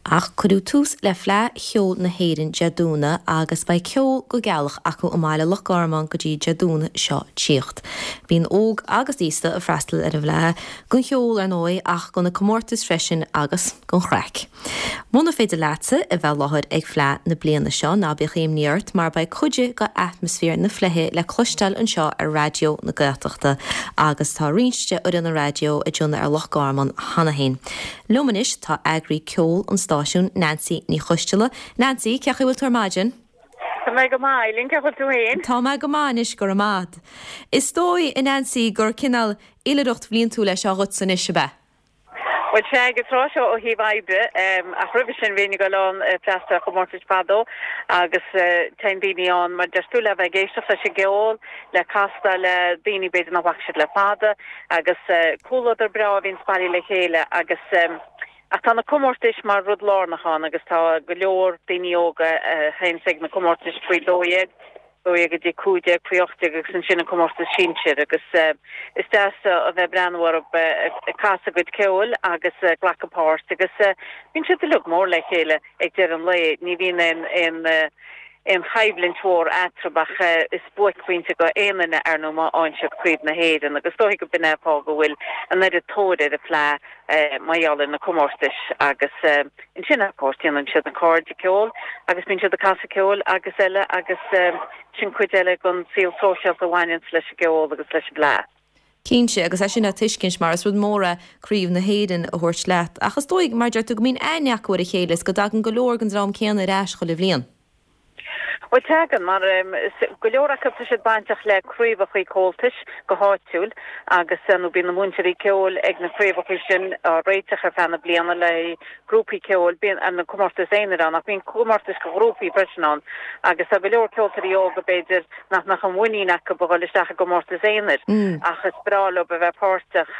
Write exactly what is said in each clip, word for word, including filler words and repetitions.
Ach cuireadh tús le Fleadh Cheoil na hÉireann Dé Domhnaigh agus beidh ceol go gealach acu i mbaile Loch Garman go dtí Dé Domhnaigh seo tíocht. Bíonn óg agus aosta ag freastal ar an bhFleadh, don cheol ar ndóigh ach do na comórtais freisin agus don chraic. Muna féidir leatsa a bheith i láthair ag Fleadh na bliana seo ná bíodh imní ort mar beidh cuid de atmaisféar na fleidhe le cloisteáil anseo ar Raidió na Gaeltachta agus tá roinnt de fhoireann an raidió ag déanamh ar Loch Garman cheana féin. Liom anois tá eagraí ceoil an stáisiúin Nancy Ní Choisteala. Nancy, cén chaoi a bhfuil tú ar maidin? Tá mé go maith, Linn cén chaoi a bhfuil tú féin? Tá mé go maith anois go raibh maith. Is dóigh a Nancy gur cineál oilithreacht bhliantúil é seo dhuit anois ab ea. Well sé ag an tráth seo ó thaobh oibre ach roimhe sin bhínn ag dul ann freastal ar chomórtais fadó agus téann daoine ann mar deir tú le bheith ag éisteacht leis an gceol, le castáil le daoine b'fhéidir nach bhfaca siad le fada agus comhluadar breá a bhíonns bailithe le chéile agus ach tá na comórtais mar rud lárnach ann agus tá go leor daoine óga a théanns ag na comórtais faoi dó dhéag, dó dhéag go dtí cúig déag, faoi ocht déag agus ansin an comórtas sinsir agus is deas a bheith ag breathnú orthu ag casadh a gcuid ceoil agus ag glacadh páirt agus bíonn siad uilig mór le chéile ag deireadh an lae, ní bhíonn aon aon aon choimhlint mhór eatarthu ach is buaicphointe do aon duine ar ndóigh má fhaigheann siad Craobh na hÉireann agus is dóigh go b'in é an fáth go bhfuil an oiread tóir ar an bhFleadh mar gheall ar na comórtais agus ansin of course déanann siad na cairde ceoil agus bíonn siad ag casadh ceoil agus eile agus sin cuid eile den saol sóisialta a bhaineanns leis an gceol agus leis an bhFleadh. Cinnte, agus é sin le tuiscint mar is rud mór é Craobh na hÉireann a thabhairt leat ach is dóigh mar deir tú go mbíonn aithne acu ar a chéile is go dtagann go leor den dream céanna ar ais chuile bhliain. Bhuel tagann, mar go leor acu tá siad bainteach le craobhachaí Comhaltais go háitiúil agus nó bíonn na múinteoirí ceoil ag na craobhachaí sin á réiteach ar feadh na bliana le grúpaí ceoil, bíonn na comórtais aonair ann ach bíonn comórtais do ghrúpaí freisin ann agus tá go leor ceoltóirí óga b'fhéidir nach mbeadh an mhuinín acu a dhul isteach i gcomórtas aonair ach is breá leo a bheith páirteach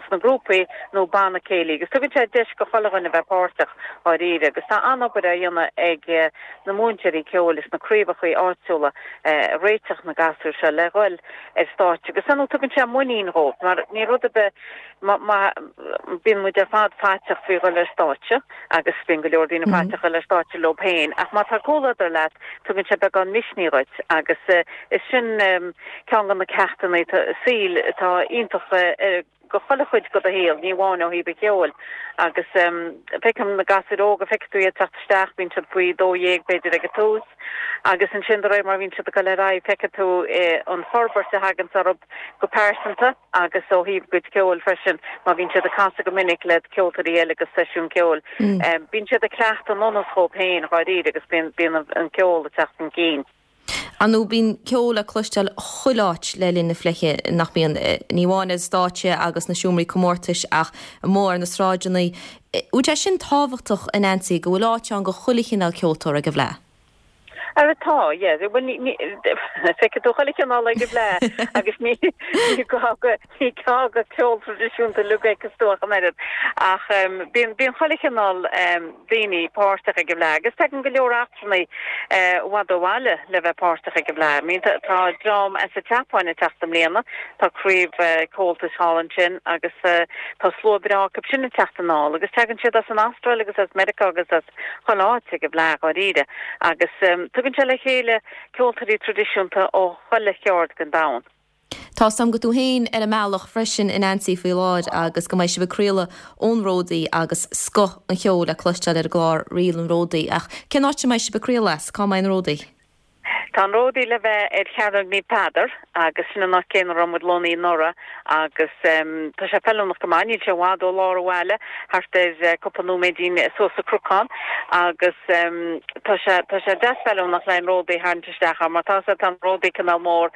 sna grúpaí nó banna céilí agus tugann sé deis do chuile dhuine a bheith páirteach dháiríre agus tá an-obair á dhéanamh ag na múinteoirí ceoil is na craobhachaí áitiúla ag réiteach na gasúir seo le dhul ar stáitse agus ar ndóigh tugann sé muinín dhóibh mar ní rud ar bith má bíonn muid ar fad faiteach faoi dhul ar stáitse agus bíonn go leor daoine faiteach dhul ar stáitse leo féin ach má tá comhluadar leat tugann sé beagán misnigh dhuit agus is sin ceann de na ceachtanna saoil atá iontach do chuile chuid de do shaol, ní amháin ó thaobh an cheoil. Agus feicim na gasúir óga, feicfidh tú iad ag teacht isteach, bíonn siad faoi dó dhéag b'fhéidir ag an tús, agus ansin de réir mar a bhíonn siad ag dul ar aghaidh, feicfidh tú an forbairt a thaganns orthu go pearsanta agus ó thaobh a gcuid ceoil freisin, má bhíonn siad ag casadh go minic le ceoltóirí eile agus seisiún ceoil. Bíonn siad ag cleachtadh an ionas dhóibh féin, dháiríre, agus bíonn bíonn an ceol ag teacht chun cinn. Ar ndóigh bíonn ceol le cloisteáil chuile áit le linn na fleidhe, nach mbíonn? Ní amháin ar stáitse agus sna seomraí comórtais ach amuigh ar na sráideanna. Bhfuil sé sin tábhachtach, a Nancy, go bhfuil áit ann go chuile chineál ceoltóir ag an bhFleadh? Ara tá, yeah. Bhuel, ní, ní, feicfidh tú chuile chineál ag an bhFleadh agus ní, ní gá go, ní gá go ceol traidisiúnta uilig a fheiceas tú ach an oiread. Ach bíonn, bíonn chuile chineál daoine páirteach ag an bhFleadh agus tagann go leor eachtrannaigh i bhfad ó bhaile le bheith páirteach ag an bhFleadh. I mean, tá dream as an tSeapáin ag teacht i mbliana, tá craobh Comhaltais thall ansin agus tá slua breá acu sin ag teacht anall agus tagann siad as an Astráil agus as Meiriceá agus as chuile áit ag an bhFleadh dháiríre agus tugann sé le chéile ceoltóirí traidisiúnta ó chuile cheard den domhan. Tá 's a'm go bhfuil tú féin ar an mbealach freisin a Nancy faoi láthair agus go mbeidh sibh ag craoladh ón Ródaí agus scoth an cheoil le cloisteáil ar an gclár Ríl an Ródaí ach cén áit a mbeidh sibh ag craoladh as? Cá mbeidh an Ródaí? Tá an Ródaí le bheith ar Chearnóg Naomh Peadar agus sin an áit céanna a raibh muid lonnaithe anuraidh agus tá sé feiliúnach go maith, níl sé i bhfad ó lár an bhaile, thart ar cúpla nóiméidín suas an cnocán agus tá sé tá sé deas feiliúnach le an Ródaí a tharraingt isteach ann mar tá sé tá an Ródaí cineál mór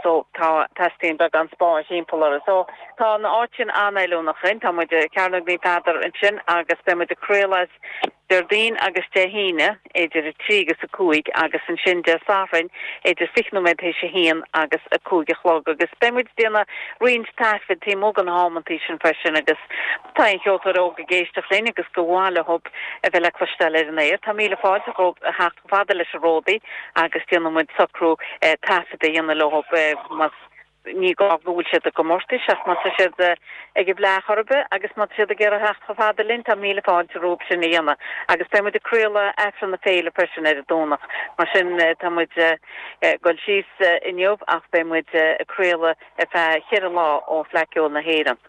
so tá teastaíonn beagán spáis thimpeall orthu. So tá an áit sin an-fheiliúnach dúinn, tá muid ar Chearnóg Naomh Peadar ansin agus beidh muid ag craoladh as Déardaoin agus Dé hAoine idir a trí agus a cúig agus ansin Dé Sathairn idir fiche nóiméad théis a haon agus a cúig a chlog agus beidh muid ag déanamh roinnt taifead taobh amuigh de na hamantaí sin freisin agus má tá aon cheoltóir óg ag éisteacht linn agus gur mhaith leo a bheith le cloisteáil ar an aer, tá míle fáilte rompu a theacht chomh fada leis an Ródaí agus déanfaidh muid socrú taifead a dhéanamh leo más Ní gá go bhfuil siad i gcomórtais ach má tá siad ag an bhFleadh chor ar bith agus má tá siad ag iarraidh theacht chomh fada linn, tá míle fáilte rompu sin a dhéanamh. Agus beidh muid ag craoladh Aifreann na Féile freisin ar an Domhnach. Mar sin tá muid ag dul síos inniu ach beidh muid ag craoladh ar feadh cheithre lá ó Fleadh Cheoil na hÉireann.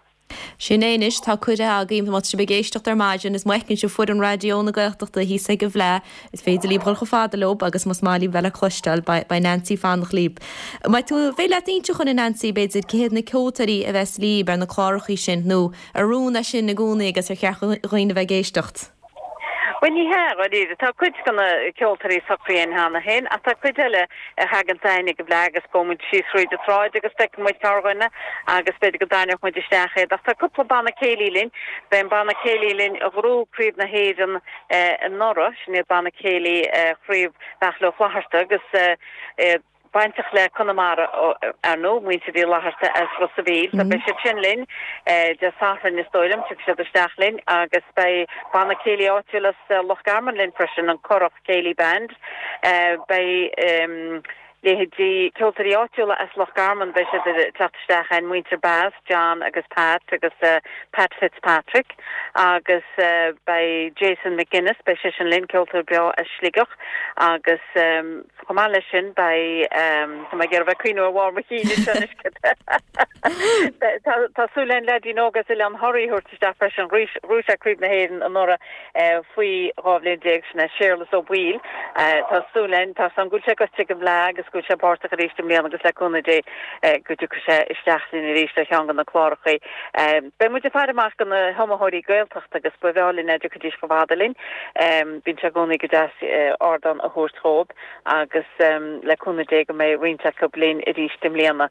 Sin é anois, tá cuireadh agaibh, má tá sibh ag éisteacht ar maidin is má fheiceann sibh foireann Raidió na Gaeltachta thíos ag an bhFleadh, is féidir libh dhul chomh fada leo agus más maith libh bheith le cloisteáil, beidh Nancy ag fanacht libh. An mbeidh tú, an féidir leat inse dhúinn a Nancy, b'fhéidir, cé hiad na ceoltóirí a bheas libh ar na clárachaí sin nó ar rún é sin i gcónaí agus ar cheart do dhaoine a bheith ag éisteacht? Bhuel, ní hea, dháiríre. Tá cuid de na ceoltóirí socraithe againn cheana féin ach tá cuid eile a thagann againn ag an bhFleadh agus gabhann muid síos thríd an tsráid agus feiceann muid corrdhuine agus b'fhéidir go dtarraingeodh muid isteach iad. Ach tá cúpla banna céilí linn. Beidh an banna céilí linn a ghnóthaigh Craobh na hÉireann anuraidh, sin iad banna céilí Chraobh Bheairtle Ó Flatharta agus bainteach le Conamara, ar ndóigh, muintir Uí Fhlatharta as Ros a' Mhíl. So beidh siad sin linn Dé Sathairn, is dóigh liom, tiocfaidh siad isteach linn agus beidh banna céilí áitiúil as Loch Garman linn freisin, an Currach Céilí Band. Beidh leithéidí ceoltóirí áitiúla as Loch Garman, beidh siad ag teacht isteach againn, muintir Bass, John agus Pat agus Pat Fitzpatrick agus beidh Jason McGuinness, beidh seisean linn, ceoltóir breá as Sligeach agus Chomh maith leis sin, beidh, tá mé ag iarraidh bheith ag cuimhniú ar bharr mo chinn anseo anois, tá súil againn leaidín óg as Oileán Thoraí a thabhairt isteach freisin, ghnóthaigh sé Craobh na hÉireann anuraidh faoi dhá bhliain déag, sin é Séarlas Ó Baoill. Tá súil againn, tá a fhios agam go bhfuil sé gaibhte ag an bhFleadh agus go bhfuil sé páirteach arís i mbliana agus le cúnamh Dé go dtiocfaidh sé isteach linn arís ar cheann de na clárachaí. Beidh muid ag faire amach do na hiomaitheoirí Gaeltachta agus ba bhreá linn dá dtiocfaidís chomh fada linn. Bíonn sé i gcónaí go deas ardán a thabhairt dhóibh agus le cúnamh Dé go mbeidh roinnt acu linn arís i mbliana.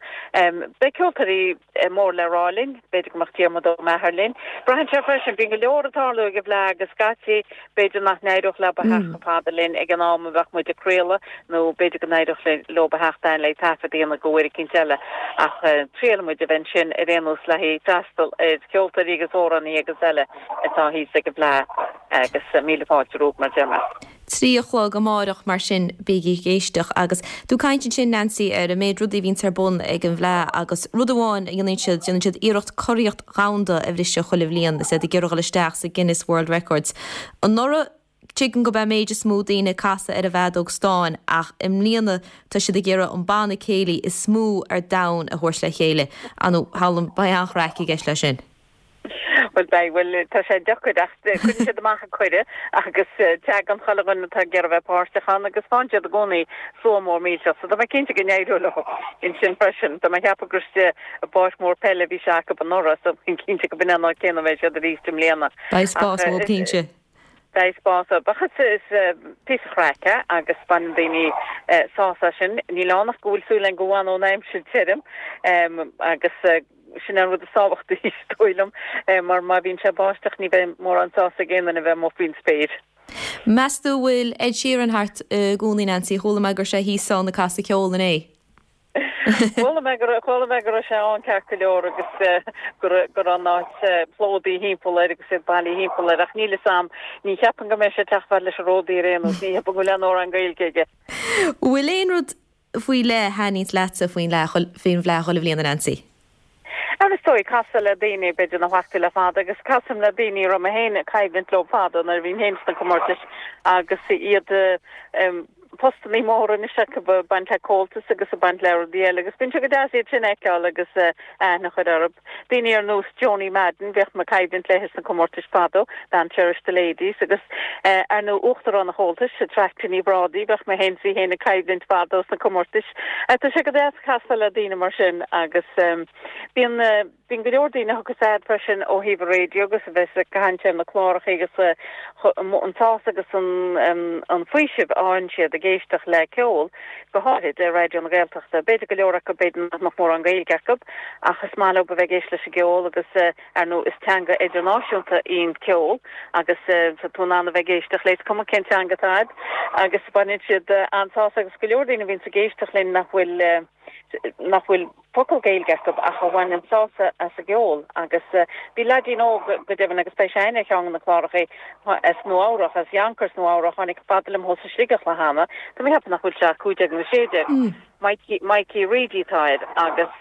Beidh ceoltóirí mór le rá linn, b'fhéidir go mbeadh Diarmuid Ó Meachair linn. Braitheann sé freisin, bíonn go leor ag tarlú ag an bhFleadh agus scaití b'fhéidir nach n-éireodh leo a theacht chomh fada linn ag an am a bheadh muid ag craoladh nó b'fhéidir go n-éireodh leo a theacht againn le taifead a dhéanamh do uair eicínt eile ach triailfidh muid a bheith ansin ar aon nós le haghaidh freastal ar cheoltóirí agus amhránaithe agus eile atá thíos ag an bhFleadh agus míle fáilte romhaibh mar a deir mé. Trí a chlog amáireach mar sin bígí ag éisteacht agus tú ag caint ansin Nancy ar an méid rudaí a bhíonns ar bun ag an bhFleadh agus rud amháin a dhéanann siad, déanann siad iarracht curaíocht dhomhanda a bhriseadh chuile bhliain is iad ag iarraidh dhul isteach sa Guinness World Records. Anuraidh tuigim gurb é an méid is mó daoine ag casadh ar an bhfeadóg stáin ach i mbliana tá siad ag iarraidh an banna céilí is mó ar domhan a thabhairt le chéile. Ar ndóigh, shamhlóinn beidh an-chraic i gceist leis sin. Bhuel beidh, bhuel tá sé deacair ach cuireann siad amach an cuireadh agus teagann chuile dhuine atá ag iarraidh bheith páirteach ann agus faigheann siad i gcónaí slua mór millteach so tá mé cinnte go n-éireoidh leo ansin freisin. Tá mé ag ceapadh gur istigh i bpáirc mhór peile a bhí sé acu anuraidh so cinnte go b'in é an áit céanna a bheidh siad arís i mbliana. Beidh spás dóibh cinnte. Beidh spás dóibh ach is píosa craic é agus baineann daoine sásamh as sin. Níl ann ach go bhfuil súil againn go bhfanfaidh an aimsir tirim agus sin an rud is tábhachtaí, is dóigh liom, mar má bhíonn sé ag báisteach ní bheidh mórán sásamh ag aon duine a bheith amuigh faoin spéir. Meas tú bhfuil Ed Sheeran thart i gcónaí, Nancy? Chuala mé go raibh sé thíos ann ag casadh ceoil inné. Chuala mé go raibh chuala mé go raibh sé ann ceart go leor agus go raibh go raibh an áit plódaithe thimpeall air agus iad bailithe thimpeall air ach níl fhios a'm, ní cheapaim go mbeidh sé ag teacht fad leis an ródaí ar aon nós, ní cheapaim go bhfuil aon amhrán Gaeilge aige. Bhfuil aon rud faoi leith a thaitníonns leatsa faoin bhFleadh chuile bhliain, a Nancy? Ar is dóigh, casadh le daoine, b'fhéidir nach bhfaca tú le fada, agus casaim le daoine a raibh mé féin ag coimhlint leo fada nuair a bhínn féin sna comórtais agus iad postannaí móra anois acu ag baint le Comhaltas agus ag baint le rudaí eile agus bíonn sé go deas iad sin a fheiceáil agus aithne a chur orthu. Daoine ar nós Joni Madden, bhíodh mé ag coimhlint léi sna comórtais fadó, bean Cherish the Ladies, agus ar ndóigh Uachtarán an Chomhaltais, Tracey Ní Bhrádaigh, bhíodh mé féin is í féin ag coimhlint fadó sna comórtais. Tá sé go deas castáil le daoine mar sin agus bíonn bíonn go leor daoine a thiocfas fhad freisin ó thaobh an raidió agus a bheas ag caint ar na cláracha agus an sásamh agus an an faoiseamh a fhaigheann siad ag éisteacht le ceol, go háirid ar Raidió na Gaeltachta. B'fhéidir go leor acu b'fhéidir nach mbeadh mórán Gaeilge acu ach is maith leo a bheith ag éisteacht leis an gceol agus ar ndóigh is teanga idirnáisiúnta í an ceol agus tá tú in ann a bheith ag éisteacht léi, is cuma cén teanga atá agat agus baineann siad an-sásamh agus go leor daoine a bhíonns ag éisteacht linn nach bhfuil nach bhfuil focal Gaeilge acu ach a bhaineann sásamh as an gceol agus bhí leaidín óg go deimhin agus beidh sé ar cheann de na cláracha as Nua Eabhrac, as Yonkers Nua Eabhrac, tháinig fada liom thall sa Sligeach le hAnna, tá mé ag ceapadh nach bhfuil sé cúig déag nó sé déag. Mikey, Mikey Reidy atá air agus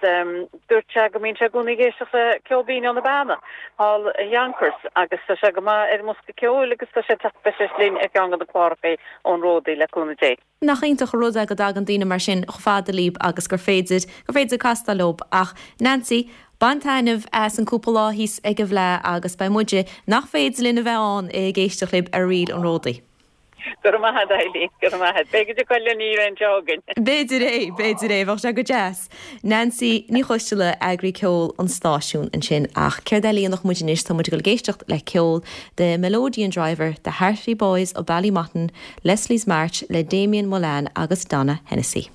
dúirt sé go mbíonn sé i gcónaí ag éisteacht le ceol binn ó na Beanna thall i Yonkers agus tá sé go maith ar an mbosca ceoil agus tá sé ag teacht beidh sé linn ar cheann de na cláracha ón Ródaí le cúnamh Dé. Nach iontach an rud é go dtagann daoine mar sin chomh fada libh agus gur féidir gur féidir castáil leo ach Nancy, bain taitneamh as an cúpla lá thíos ag an bhFleadh agus beidh muide nach féidir linn a bheith ann ag éisteacht libh ar Ríl an Ródaí. Go raibh maith agat Eileen, go raibh maith agat. B'fhéidir go dtiocfadh linn í anseo againn. B'fhéidir é, b'fhéidir é, bheadh sé go deas. Nancy Ní Choisteala, eagraí ceoil an stáisiúin ansin ach céard eile a dhéanfadh muid anois, tá muid ag dul ag éisteacht le ceol The Melodian Driver, The Harty Boys of Ballymotten, Leslie's March le Damien Mullane agus Donna Hennessy.